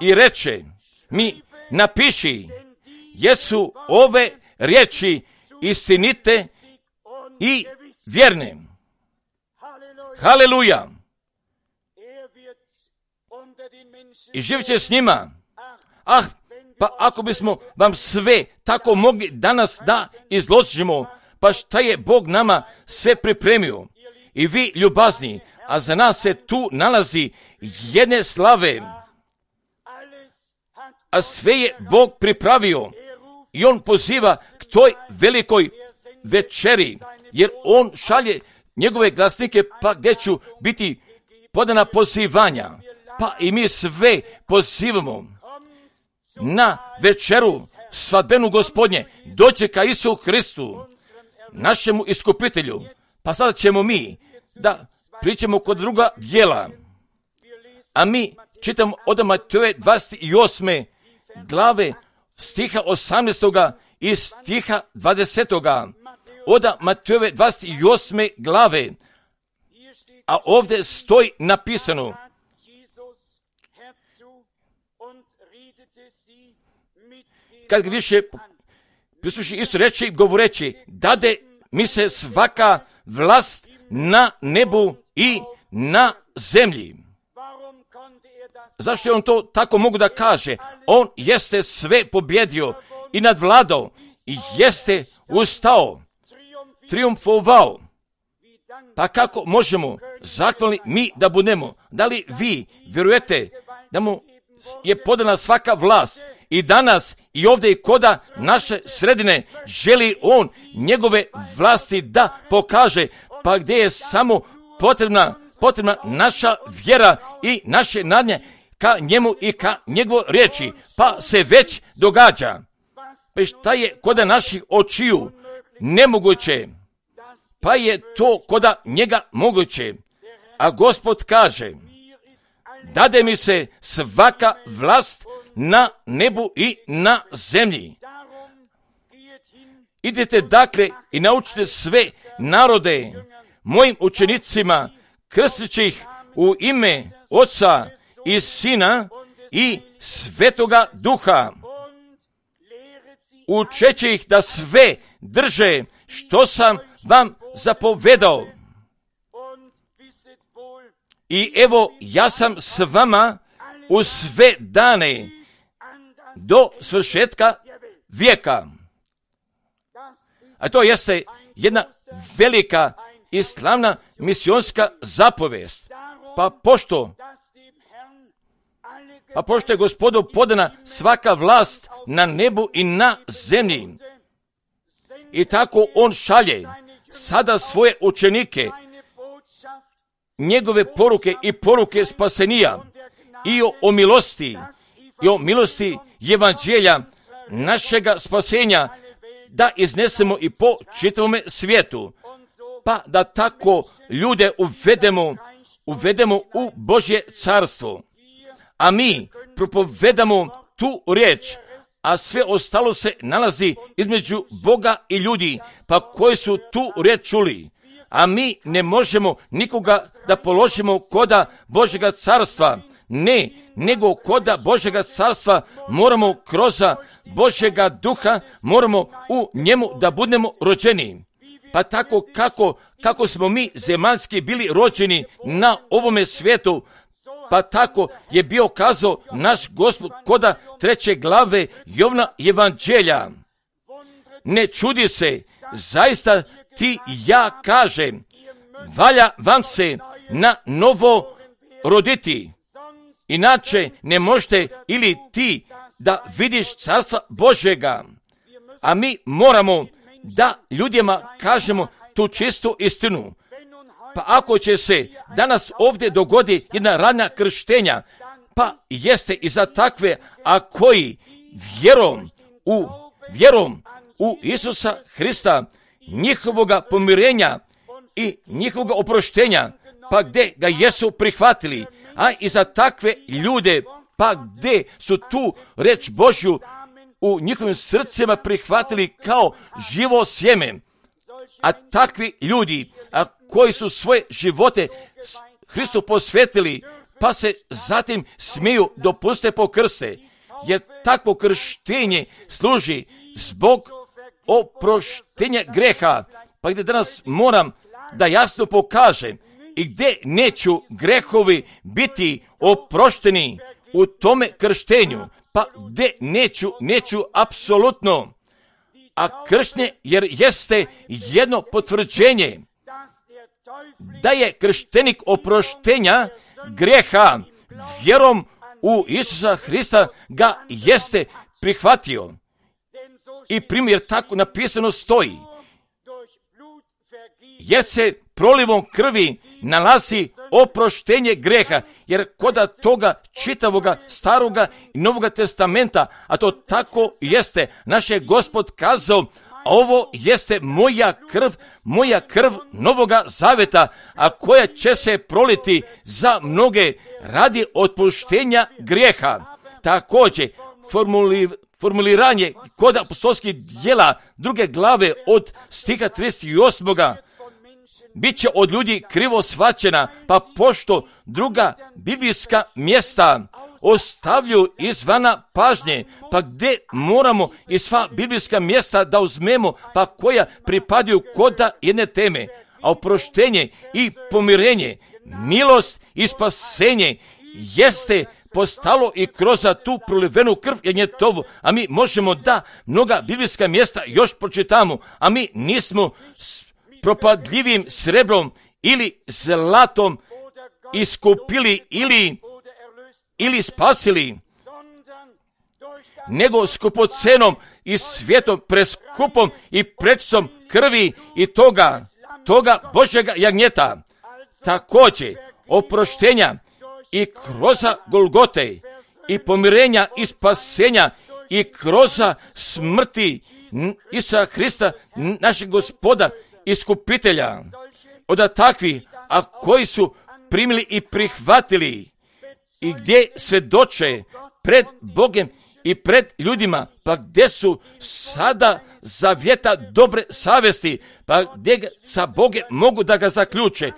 I reče mi, napiši, jesu ove riječi istinite i vjerne. Haleluja! I živit će s njima. Ah, pa ako bismo vam sve tako mogli danas da izložimo, pa šta je Bog nama sve pripremio. I vi ljubazni, a za nas se tu nalazi jedne slave. A sve je Bog pripravio i on poziva k toj velikoj večeri, jer on šalje njegove glasnike pa gdje ću biti podana pozivanja. Pa i mi sve pozivamo na večeru svadbenu Gospodnje. Dođe ka Isu Hristu, našemu iskupitelju. Pa sada ćemo mi da pričamo kod druga dijela. A mi čitamo od Matejove dvadeset osme glave stiha osamnaestoga i stiha dvadesetoga. Od Matejove dvadeset osme glave. A ovdje stoji napisano, kad više prisluši isto reći, govoreći, dade mi se svaka vlast na nebu i na zemlji. Zašto je on to tako mogu da kaže? On jeste sve pobjedio i nadvladao i jeste ustao, triumfovao. Pa kako možemo zahvalni mi da budemo? Da li vi vjerujete da mu je podana svaka vlast i danas i ovdje i koda naše sredine želi on njegove vlasti da pokaže, pa gdje je samo potrebna, potrebna naša vjera i naše nadnje ka njemu i ka njegovoj riječi, pa se već događa. Pa šta je koda naših očiju nemoguće, pa je to koda njega moguće. A Gospod kaže, dade mi se svaka vlast na nebu i na zemlji. Idete dakle i naučite sve narode mojim učenicima, krstići ih u ime Oca i Sina i Svetoga Duha, učeći ih da sve drže što sam vam zapovedao. I evo, ja sam s vama u sve dane do svršetka vijeka. A to jeste jedna velika i slavna misionska zapovest. Pa pošto, pa pošto je Gospodu podana svaka vlast na nebu i na zemlji, i tako on šalje sada svoje učenike, njegove poruke i poruke spasenija i o, o milosti i o milosti evanđelja našega spasenja da iznesemo i po čitavome svijetu, pa da tako ljude uvedemo, uvedemo u Božje carstvo. A mi propovedamo tu riječ, a sve ostalo se nalazi između Boga i ljudi, pa koji su tu riječ čuli. A mi ne možemo nikoga da položimo koda Božjega carstva, ne, nego koda Božjega carstva moramo kroz Božjega duha, moramo u njemu da budemo rođeni. Pa tako kako, kako smo mi zemaljski bili rođeni na ovome svijetu, pa tako je bio kazao naš Gospod koda treće glave Jovna evanđelja. Ne čudi se, zaista ti ja kažem, valja vam se na novo roditi. Inače ne možete ili ti da vidiš carstva Božjega. A mi moramo da ljudima kažemo tu čistu istinu. Pa ako će se danas ovdje dogodi jedna rana krštenja, pa jeste i za takve, a koji vjerom u, vjerom u Isusa Hrista, njihovoga pomirenja i njihovoga oproštenja, pa gdje ga jesu prihvatili, a i za takve ljude, pa gdje su tu reč Božju u njihovim srcima prihvatili kao živo sjeme. A takvi ljudi, a koji su svoje živote Hristu posvetili, pa se zatim smiju dopuste pokrste, jer takvo krštenje služi zbog oproštenja greha, pa gdje danas moram da jasno pokažem i gdje neću grehovi biti oprošteni u tome krštenju, pa gdje neću, neću apsolutno. A krštenje jer jeste jedno potvrđenje da je krštenik oproštenja greha vjerom u Isusa Hrista ga jeste prihvatio. I primjer tako napisano stoji, jer se prolivom krvi nalazi oproštenje greha, jer koda toga čitavoga staroga i novoga testamenta, a to tako jeste, naš je Gospod kazao, ovo jeste moja krv, moja krv novoga zaveta, a koja će se proliti za mnoge radi otpuštenja grijeha. Također, formuli, formuliranje kod apostolskih djela druge glave od stiha trideset osam. Bit će od ljudi krivo shvaćena, pa pošto druga biblijska mjesta ostavljaju izvana pažnje, pa gdje moramo i sva biblijska mjesta da uzmemo, pa koja pripadaju koda jedne teme, a oproštenje i pomirenje, milost i spasenje jeste postalo i kroz tu prolivenu krv jagnjetovu, a mi možemo da mnoga biblijska mjesta još pročitamo, a mi nismo s propadljivim srebrom ili zlatom iskupili ili, ili spasili, nego skupocenom i svijetom preskupom i prečicom krvi i toga, toga Božjega jagnjeta, također oproštenja i kroz Golgote i pomirenja i spasenja i kroz smrti Isusa Hrista, našeg Gospoda, iskupitelja, od takvih, a koji su primili i prihvatili i gdje svjedoče pred Bogom i pred ljudima, pa gdje su sada zavjeta dobre savjesti, pa gdje sa Bogom mogu da ga zaključe,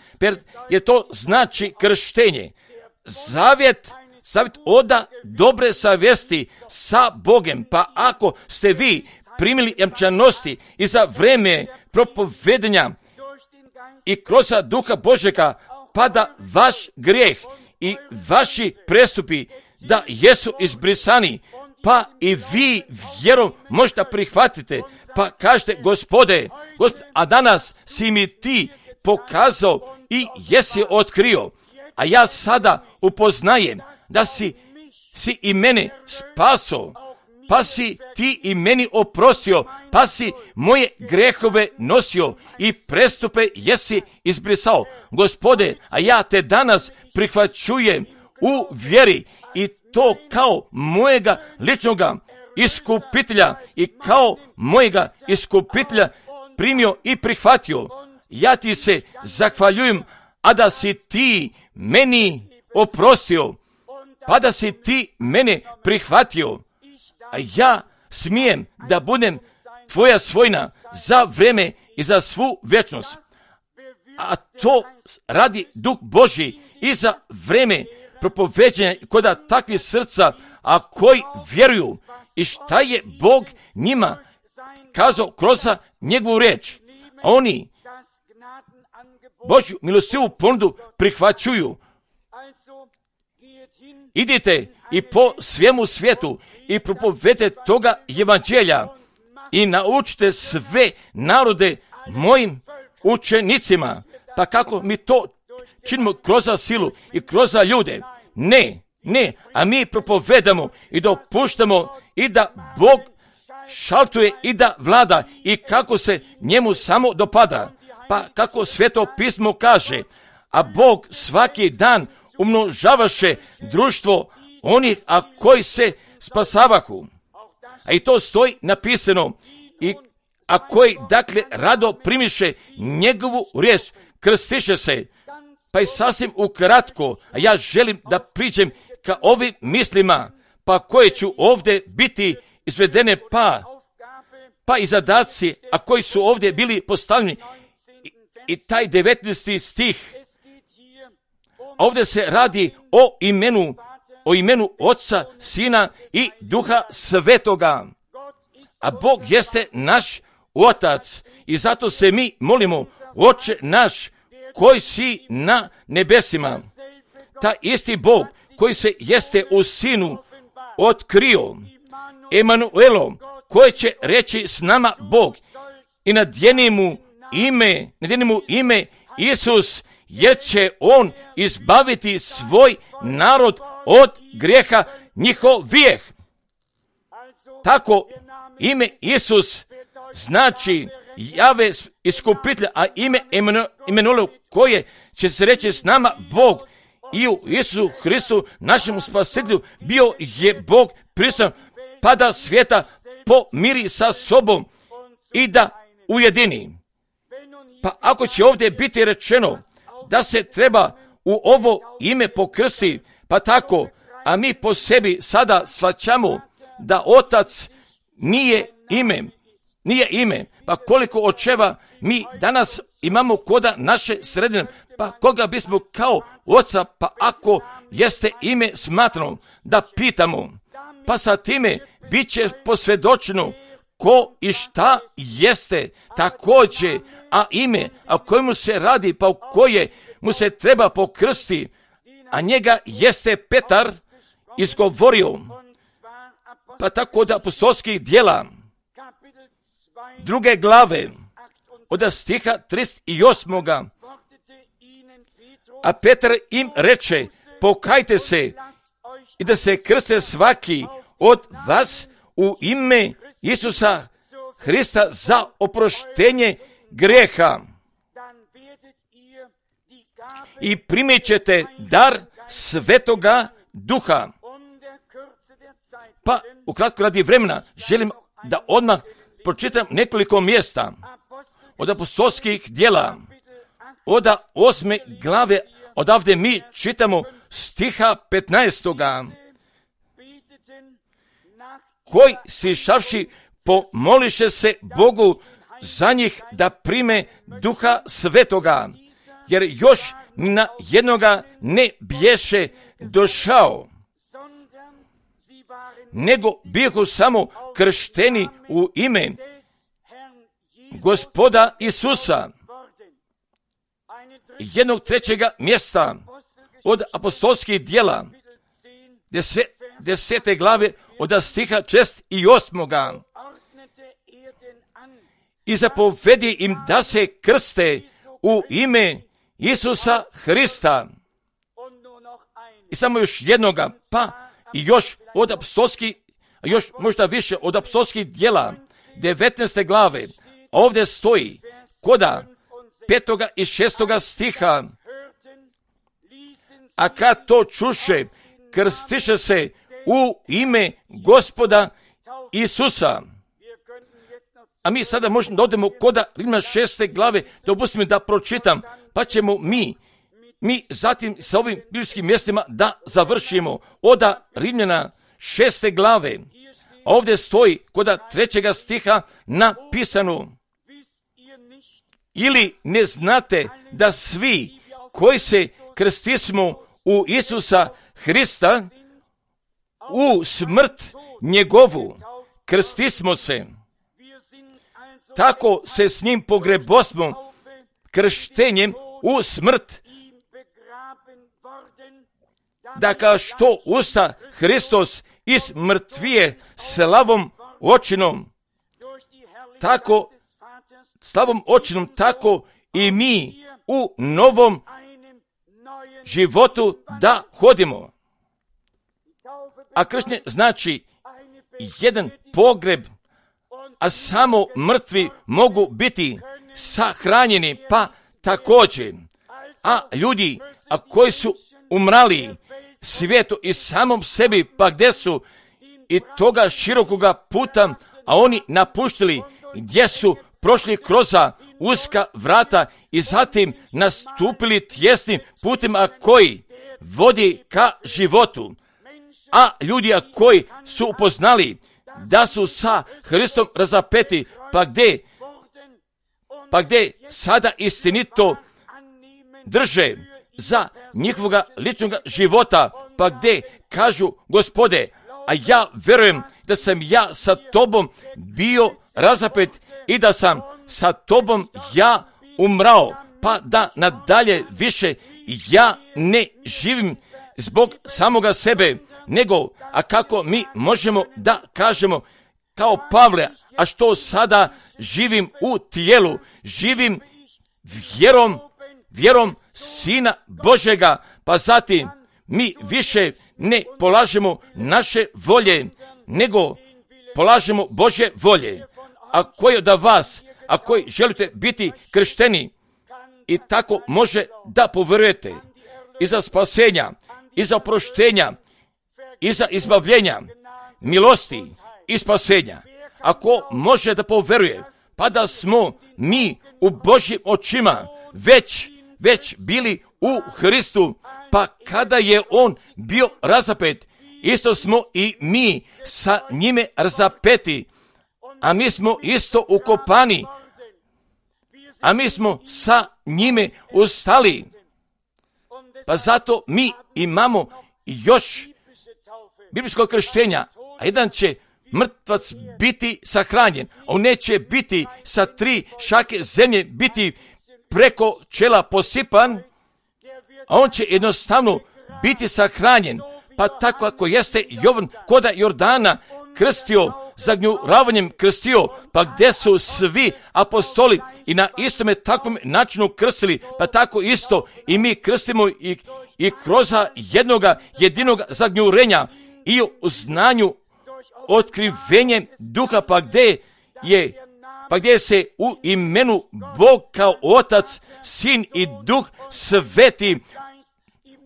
jer to znači krštenje. Zavjet, zavjet oda dobre savjesti sa Bogom, pa ako ste vi primili jamčanosti i za vreme propovedenja i kroz duha Božjega, pa da vaš grijeh i vaši prestupi da jesu izbrisani, pa i vi vjerom možete prihvatite, pa kažete Gospode, Gospode, a danas si mi ti pokazao i jesi otkrio, a ja sada upoznajem da si, si i mene spaso, pa si ti i meni oprostio, pa si moje grehove nosio i prestupe jesi izbrisao. Gospode, a ja te danas prihvaćujem u vjeri i to kao mojega ličnoga iskupitelja i kao mojega iskupitelja primio i prihvatio. Ja ti se zahvaljujem, a da si ti meni oprostio, pa da si ti mene prihvatio, a ja smijem da budem tvoja svojina za vreme i za svu vječnost. A to radi Duh Božji i za vreme propoveđenja kod takvih srca, a koji vjeruju i šta je Bog njima kazao kroz njegovu riječ. Oni Božju milostivu ponudu prihvaćuju. Idite i po svemu svijetu i propovedite toga evanđelja i naučite sve narode mojim učenicima. Pa kako mi to činimo kroz silu i kroz ljude? Ne, ne, a mi propovedamo i dopuštamo i da Bog šaltuje i da vlada i kako se njemu samo dopada. Pa kako Sveto pismo kaže, a Bog svaki dan umnožavaše društvo onih, a koji se spasavahu. A i to stoji napisano, i a koji dakle rado primiše njegovu riječ, krstiše se. Pa i sasvim ukratko, a ja želim da priđem ka ovim mislima, pa koje ću ovdje biti izvedene, pa, pa i zadaci, a koji su ovdje bili postavljeni. I, i taj devetnaesti stih, ovdje se radi o imenu, o imenu Oca, Sina i Duha Svetoga. A Bog jeste naš Otac i zato se mi molimo, Oče naš koji si na nebesima. Ta isti Bog koji se jeste u Sinu otkrio, Emanuelom, koji će reći s nama Bog i nadjeni mu ime, nadjeni mu ime Isus, jer će on izbaviti svoj narod od grijeha njihovih. Tako ime Isus znači Jave iskupitelja, a ime Emanuelu koje će se reći s nama Bog i u Isusu Hristu našem spasitelju bio je Bog prisutan, pa da svijeta pomiri sa sobom i da ujedini. Pa ako će ovdje biti rečeno da se treba u ovo ime pokrsti, pa tako, a mi po sebi sada shvaćamo da Otac nije ime nije ime. Pa koliko očeva mi danas imamo koda naše sredine, pa koga bismo kao oca, pa ako jeste ime smatrano, da pitamo, pa sa time bit će posvjedočeno ko i šta jeste također, a ime, a kojemu se radi, pa u koje mu se treba pokrsti, a njega jeste Petar izgovorio. Pa tako da apostolskih djela druge glave od stiha trideset osam. A Petar im reče, pokajte se i da se krste svaki od vas u ime Isusa Hrista za oproštenje grijeha i primit ćete dar Svetoga Duha. Pa, ukratko radi vremena, želim da odmah pročitam nekoliko mjesta od apostolskih djela, od osme glave, odavde mi čitamo stiha petnaestoga. Koji sišavši pomoliše se Bogu za njih da prime Duha Svetoga, jer još ni na jednoga ne bješe došao, nego bihu samo kršteni u ime Gospoda Isusa. Jednog trećega mjesta od apostolskih djela, deset, desete glave od stiha šest i osmoga. I zapovedi im da se krste u ime Isusa Hrista. I samo još jednoga, pa i još od apostolskih, još možda više od apostolskih djela, devetnaeste glave, ovdje stoji koda petoga i šestoga stiha. A kad to čuše, krstiše se u ime Gospoda Isusa. A mi sada možemo da odemo koda Rimljana šeste glave, dopustimo da pročitam, pa ćemo mi, mi zatim sa ovim biblijskim mjestima da završimo. Oda Rimljana šeste glave, ovdje stoji koda trećega stiha napisano: ili ne znate da svi koji se krstismo u Isusa Hrista, u smrt njegovu krstismo se, tako se s njim pogrebosmo krštenjem u smrt, da kao što usta Hristos iz mrtvije slavom očinom, tako slavom očinom, tako i mi u novom životu da hodimo. A krštenje znači jedan pogreb, a samo mrtvi mogu biti sahranjeni, pa također. A ljudi, a koji su umrali svijetu i samom sebi, pa gdje su i toga širokoga puta, a oni napuštili, gdje su prošli kroz uska vrata i zatim nastupili tjesnim putima koji vodi ka životu. A ljudi a koji su upoznali da su sa Hristom razapeti, pa gdje, pa gdje sada istinito drže za njihovoga ličnog života, pa gdje kažu: Gospode, a ja verujem da sam ja sa tobom bio razapet i da sam sa tobom ja umrao, pa da nadalje više ja ne živim zbog samoga sebe, nego, a kako mi možemo da kažemo kao Pavle, a što sada živim u tijelu, živim vjerom, vjerom Sina Božega, pa zatim mi više ne polažemo naše volje, nego polažemo Božje volje. A koji od vas, a koji želite biti kršteni, i tako može da povjerujete i za spasenja, i za oproštenja, i za izbavljenja, milosti i spasenja. Ako može da povjeruje, pa da smo mi u Božjim očima već, već bili u Hristu, pa kada je on bio razapet, isto smo i mi sa njime razapeti. a mi smo isto ukopani, a mi smo sa njime ustali. Pa zato mi imamo još biblijskog krštenja, a jedan će mrtvac biti sahranjen, on neće biti sa tri šake zemlje biti preko čela posipan, a on će jednostavno biti sahranjen. Pa tako ako jeste Jovan koda Jordana krstio, zagnjuravanjem krstio, pa gdje su svi apostoli i na istome takvom načinu krstili, pa tako isto i mi krstimo i, i kroz jednoga jedinog zagnjurenja i u znanju otkrivenje duha, pa gdje je pa gdje se u imenu Bog kao Otac, Sin i Duh Sveti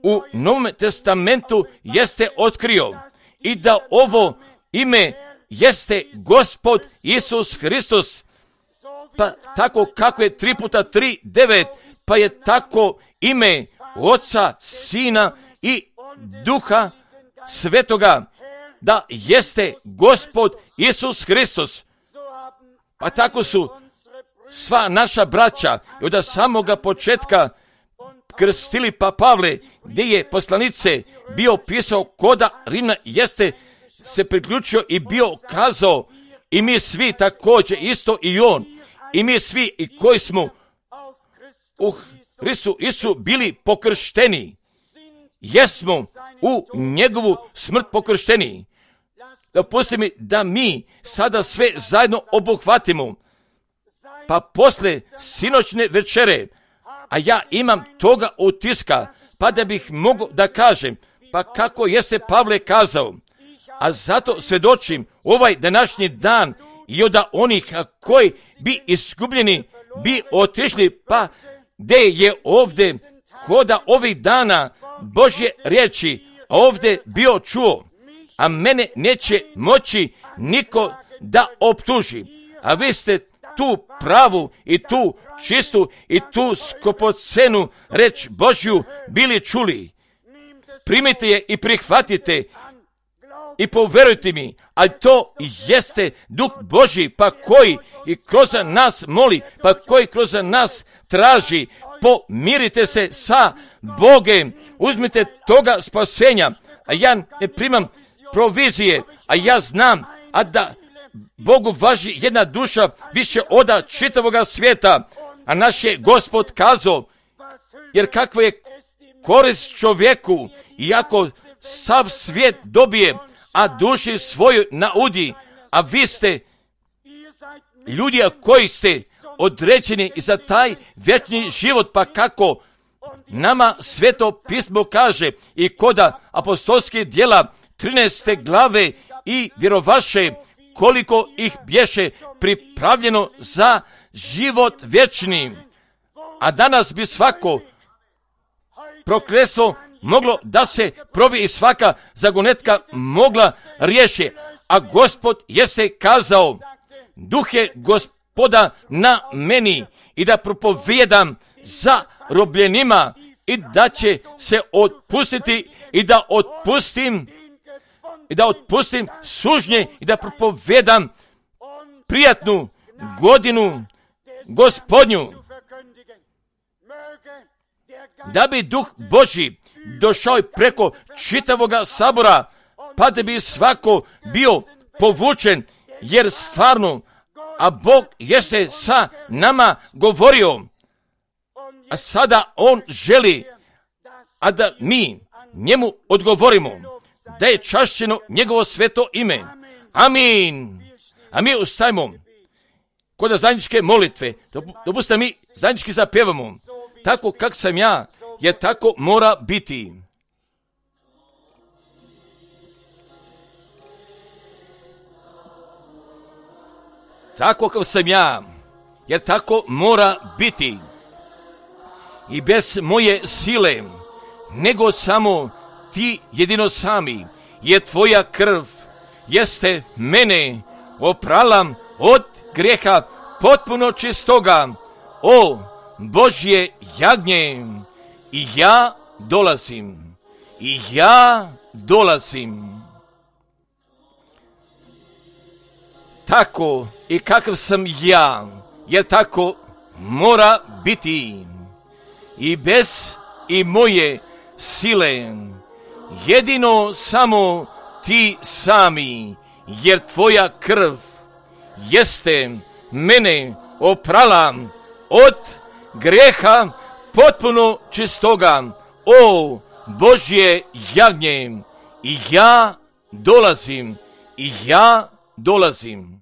u Novom testamentu jeste otkrio i da ovo ime jeste Gospod Isus Hristos. Pa tako kako je tri puta tri devet, pa je tako ime Oca, Sina i Duha Svetoga, da jeste Gospod Isus Hristos. Pa tako su sva naša braća i od samoga početka krstili, pa Pavle, gdje je poslanice bio pisao koda Rimna, jeste se priključio i bio kazao, i mi svi također isto i on, i mi svi i koji smo u Hristu Isu bili pokršteni, jesmo u njegovu smrt pokršteni. Dopustite mi da mi sada sve zajedno obuhvatimo, pa posle sinoćne večere, a ja imam toga utiska, pa da bih mogao da kažem, pa kako jeste Pavle kazao, a zato svjedočim ovaj današnji dan i od onih koji bi izgubljeni, bi otišli, pa gdje je ovdje koda ovih dana Božje riječi, a ovdje bio čuo, a mene neće moći niko da optuži, a vi ste tu pravu i tu čistu i tu skopocenu reč Božju bili čuli. Primite je i prihvatite i poverujte mi, a to jeste Duh Božji, pa koji i kroz nas moli, pa koji kroz nas traži, pomirite se sa Bogem, uzmite toga spasenja, a ja ne primam provizije, a ja znam, a da Bogu važi jedna duša više oda čitavoga svijeta, a naš je Gospod kazao, jer kakva je korist čovjeku, iako sav svijet dobije, a duši svoju naudi, a vi ste ljudi koji ste određeni za taj vječni život, pa kako nama Sveto pismo kaže i koda apostolskih djela trinaeste glave i vjerovaše koliko ih bješe pripravljeno za život vječni. A danas bi svako prokletstvo moglo da se probi i svaka zagonetka mogla riješi. A Gospod jeste kazao, Duh je Gospoda na meni i da propovijedam za robljenima i da će se otpustiti i da otpustim i da otpustim sužnje i da propovijedam prijatnu godinu Gospodnju. Da bi Duh Božji došao preko čitavoga sabora, pa da bi svako bio povučen, jer stvarno, a Bog jeste sa nama govorio, a sada On želi, a da mi njemu odgovorimo, da je čašćeno njegovo sveto ime. Amin. A mi ustajemo kod zajedničke molitve. Dopustite mi zajednički zapevamo. Tako kak sam ja, jer tako mora biti. Tako kao sam ja, jer tako mora biti. I bez moje sile, nego samo ti jedino sami, je tvoja krv, jeste mene oprala od grijeha potpuno čistoga. O Božje jagnje, i ja dolazim, i ja dolazim. tako i kakav sam ja, jer tako mora biti. I bez i moje sile, jedino samo ti sami, jer tvoja krv jeste mene oprala od grijeha potpuno čistoga. O Božje jagnje, i ja dolazim, i ja dolazim.